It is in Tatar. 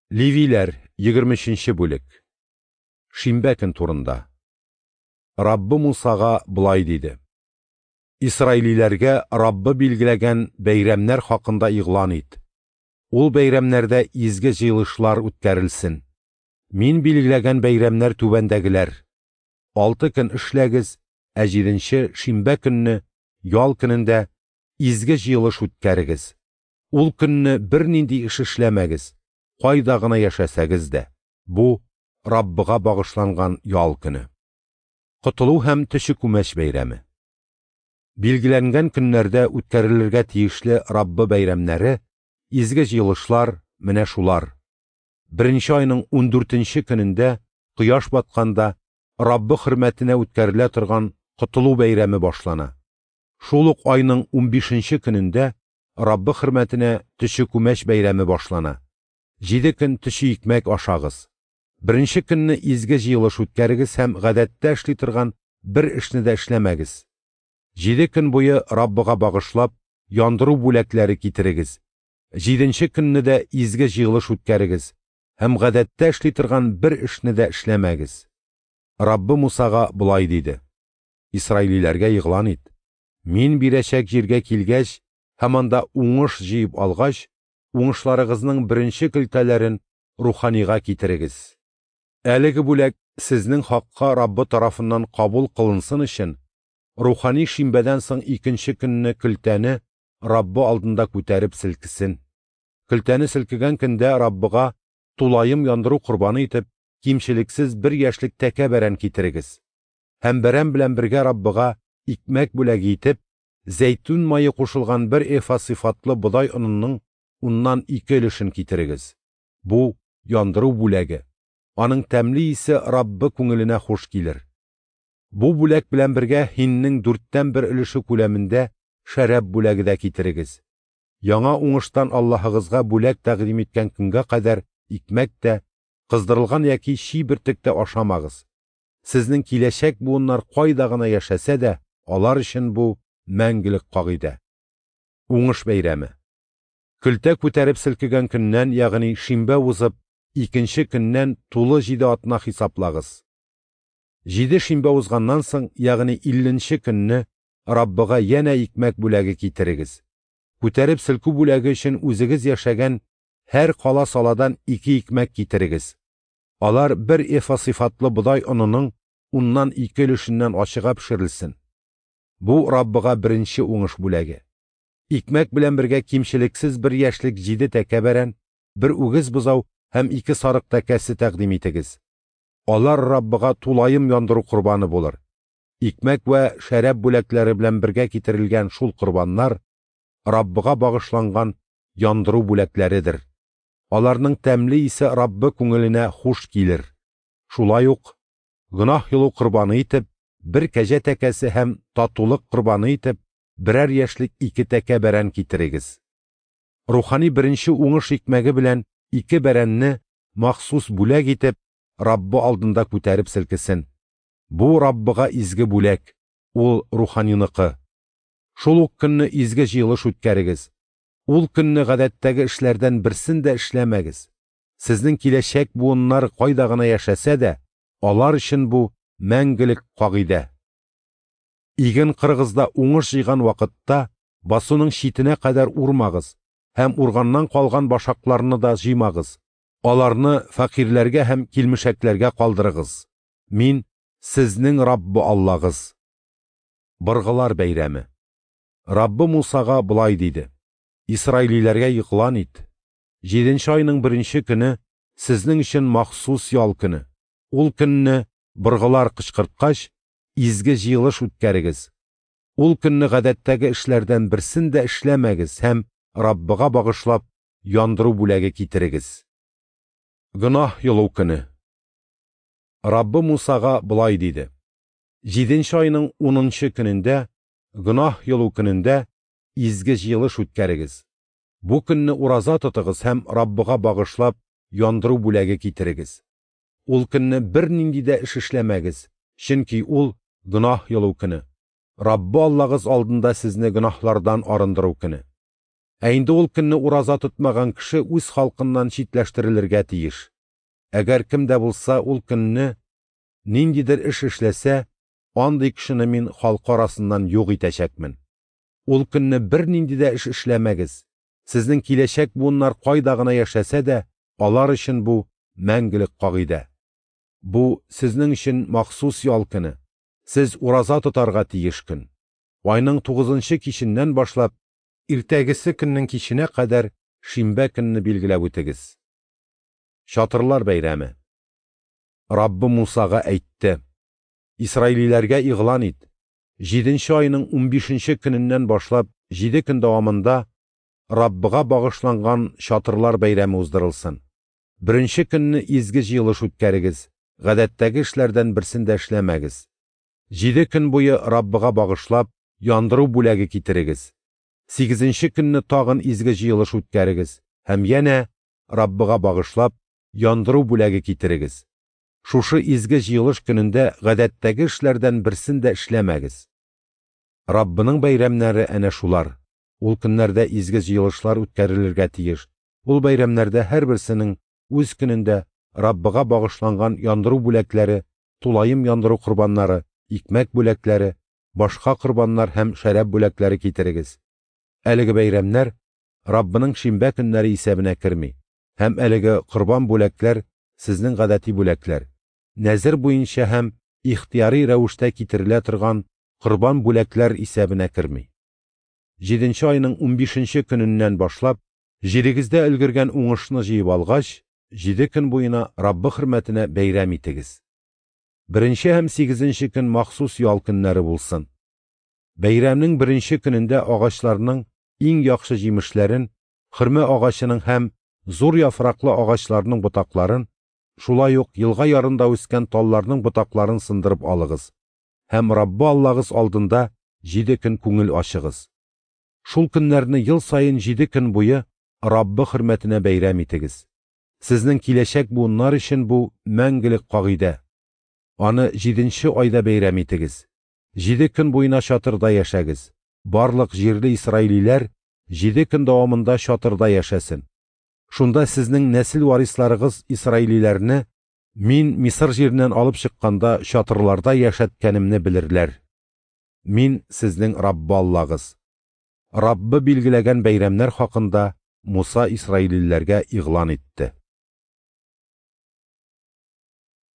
Левиләр, 23 нче бүлек. Шимбә көн турында. Раббы Мусага болай диде: Исраилиләргә Раббы билгеләгән бәйрәмнәр хакында игълан ит. Ул бәйрәмнәрдә изге җыелышлар үткәрелсен. Мин билгеләгән бәйрәмнәр түбәндәгеләр: алты көн эшләгез, ә җиденче шимбә көнне, ял көнендә, изге җыелыш үткәрегез. Ул көнне бернинди эш эшләмәгез, кайда гына яшәсәгез дә. Бу Раббыга багышланган ял көне. Котылу һәм төче күмәч бәйрәме. Билгеләнгән көннәрдә үткәрелергә тиешле Раббы бәйрәмнәре, изге җыелышлар менә шулар. Беренче айның ундүртенче көнендә, кояш батканда, Раббы хөрмәтенә үткәрелә торган Котылу бәйрәме башлана. Шул ук айның унбишенче көнендә Раббы хөрмәтенә төче күмәч бәйрәме башлана. Җиде көн төче икмәк ашагыз. Беренче көнне изге җыелыш үткәрегез һәм гадәттә эшли торган бер эшне дә эшләмәгез. Җиде көн буе Раббыга багышлап, яндыру бүләкләре китерегез. Җиденче көнне дә изге җыелыш үткәрегез һәм гадәттә эшли торган бер эшне дә эшләмәгез. Раббы Мусага болай диде: Исраилиләргә игълан ит: Мин бирәчәк җиргә килгәч һәм анда уңыш җыеп алгач, уңышларыгызның беренче көлтәләрен руханига китерегез. Әлеге бүләк сезнең хакка Раббы тарафыннан кабул кылынсын өчен, рухани шимбәдән соң икенче көнне көлтәне Раббы алдында күтәреп селкесен. Көлтәне селкегән көндә Раббыга тулаем яндыру корбаны итеп кимчелексез бер яшьлек тәкә бәрән китерегез. Һәм бәрән белән бергә Раббыга икмәк бүләге итеп, зәйтүн мае кушылган бер эфа сыйфатлы бодай онының уннан ике өлешен китерегез. Бу яндыру бүләге. Аның тәмле исе Раббы күңеленә хуш килер. Бу бүләк белән бергә һиннең дүрттән бер өлеше күләмендә шәраб бүләге дә китерегез. Яңа уңыштан Аллаһыгызга бүләк тәкъдим иткән көнгә кадәр икмәк тә, кыздырылган яки чи бөртек тә ашамагыз. Сезнең киләчәк буыннар кайда гына яшәсә дә, алар өчен бу мәңгелек кагыйдә. Уңыш бәйрәме. Көлтә күтәреп селкегән көннән, ягъни шимбә узып, икенче көннән тулы җиде атна хисаплагыз. Җиде шимбә узганнан соң, ягъни илленче көнне, Раббыга янә икмәк бүләге китерегез. Күтәреп селкү бүләге өчен үзегез яшәгән һәр кала саладан ике икмәк китерегез. Алар бер эфа сыйфатлы бодай онының уннан ике өлешеннән ачыга пешерелсен. Бу Раббыга беренче уңыш бүләге. Икмәк белән бергә кимчелексез бер яшьлек җиде тәкә бәрән, бер үгез бозау һәм ике сарык тәкәсе тәкъдим итегез. Алар Раббыга тулаем яндыру корбаны булыр. Икмәк вә шәраб бүләкләре белән бергә китерелгән шул корбаннар Раббыга багышланган яндыру бүләкләредер. Аларның тәмле исе Раббы күңеленә хуш килер. Шулай ук гөнаһ йолу корбаны итеп бер кәҗә тәкәсе һәм татулык корбаны итеп берәр яшьлек ике тәкә бәрән китерегез. Рухани беренче уңыш икмәге белән ике бәрәнне махсус бүләк итеп Раббы алдында күтәреп селкесен. Бу Раббыга изге бүләк, ул руханиныкы. Шул ук көнне изге җыелыш үткәрегез. Ул көнне гадәттәге эшләрдән берсен дә эшләмәгез. Сезнең киләчәк буыннар кайда гына яшәсә дә, алар өчен бу мәңгелек кагыйдә. Иген кырыгызда уңыш җыйган вакытта басуның читенә кадәр урмагыз һәм урганнан калган башакларны да җыймагыз. Аларны фәкыйрьләргә һәм килмешәкләргә калдырыгыз. Мин сезнең Раббы Аллагыз. Быргылар бәйрәме. Раббы Мусага болай диде: Исраилиләргә игълан ит. Җиденче айның беренче көне сезнең өчен махсус ял көне. Ул көнне быргылар кычкырткач, изге җыелыш үткәрегез. Ул көнне гадәттәге эшләрдән берсен дә эшләмәгез һәм Раббыга багышлап яндыру бүләге китерегез. Гөнаһ йолу көне. Раббы Мусага болай диде: Җиденче айның унынчы көнендә, гөнаһ йолу көнендә изге җыелыш үткәрегез. Бу көнне ураза тотыгыз һәм Раббыга багышлап яндыру бүләге китерегез. Ул көнне бернинди дә эш эшләмәгез, чөнки ул гөнаһ йолу көне. Раббы Аллагыз алдында сезне гөнаһлардан арындыру көне. Ә инде ул көнне ураза тотмаган кеше үз халкыннан читләштерелергә тиеш. Әгәр кем дә булса ул көнне ниндидер эш эшләсә, андый кешене мин халкы арасыннан юк итәчәкмен. Ул көнне бернинди дә эш эшләмәгез. Сезнең киләчәк буыннар кайда гына яшәсә дә, алар өчен бу мәңгелек кагыйдә. Бу сезнең өчен махсус ял көне. Сез ураза тотарга тиеш көн. Айның 9нчы киченнән башлап, иртәгесе көннең киченә кадәр шимбә көнне билгеләп үтегез. Чатырлар бәйрәме. Раббы Мусага әйтте: Исраилиләргә игълан ит: 7нче айның 15нче көненнән башлап 7 көн дәвамында Раббыга багышланган чатырлар бәйрәме уздырылсын. Беренче көнне изге җыелыш үткәрегез, гадәттәге эшләрдән берсен дә эшләмәгез. 7 көн буе Раббыга багышлап яндыру бүләге китерегез. 8нче көнне тагын изге җыелыш үткәрегез һәм янә Раббыга багышлап яндыру бүләге китерегез. Шушы изге җыелыш көнендә гадәттәге эшләрдән берсен дә эшләмәгез. Раббының бәйрәмнәре әнә шулар. Ул көннәрдә изге җыелышлар үткәрелергә тиеш. Ул бәйрәмнәрдә һәрберсенең үз көнендә Раббыга багышланган яндыру бүләкләре, тулаем яндыру корбаннары, икмәк бүләкләре, башка корбаннар һәм шәраб бүләкләре китерегез. Әлеге бәйрәмнәр Раббының шимбә көннәре исәбенә керми, һәм әлеге корбан бүләкләр сезнең гадәти бүләкләр, нәзер буенча һәм ихтыяри рәвештә китерелә торган корбан бүләкләр исәбенә керми. 7нче айның 15нче көненнән башлап, җирегездә өлгергән уңышны җыеп алгач, 7 көн буена Раббы хөрмәтенә бәйрәм итегез. 1нче һәм 8нче көн махсус ял көннәре булсын. Бәйрәмнең беренче көнендә агачларның иң яхшы җимешләрен, хөрмә агачының һәм зур яфраклы агачларның ботакларын, шулай ук елга ярында үскән талларның ботакларын сындырып алыгыз һәм Раббы Аллагыз алдында 7 көн күңел ачыгыз. Шул көннәрне ел саен 7 көн буе Раббы хөрмәтенә бәйрәм итегез. Сезнең киләчәк буыннар өчен бу мәңгелек кагыйдә. Аны 7нче айда бәйрәм итегез. 7 көн буена чатырда яшәгез. Барлык җирле исраилиләр 7 көн дәвамында чатырда яшәсен. Шунда сезнең нәсел варисларыгыз исраилиләрне мин Мисыр җиреннән алып чыкканда чатырларда яшәткәнемне белерләр. Мин сезнең Раббы Аллагыз. Раббы билгеләгән бәйрәмнәр хакында Муса исраилиләргә игълан итте.